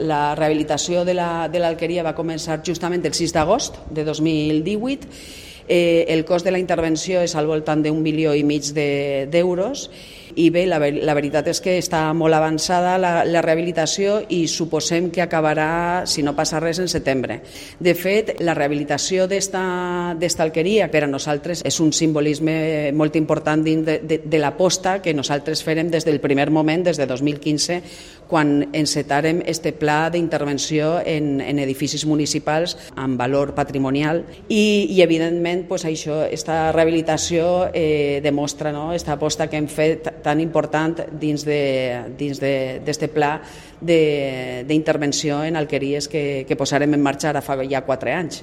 La rehabilitació de l'Alqueria va començar justament el 6 d'agost de 2018. El cost de la intervenció és al voltant d'1,5 milions d'euros i bé, la veritat és que està molt avançada la rehabilitació i suposem que acabarà, si no passa res, en setembre. De fet, la rehabilitació d'esta alqueria per a nosaltres és un simbolisme molt important dins de l'aposta que nosaltres farem des del primer moment, des de 2015, quan encetàrem este pla d'intervenció en edificis municipals amb valor patrimonial i evidentment, això, esta rehabilitació demostra esta aposta que hem fet tan important dins d'este pla d'intervenció en alqueries que posarem en marxa ara fa ja 4 anys.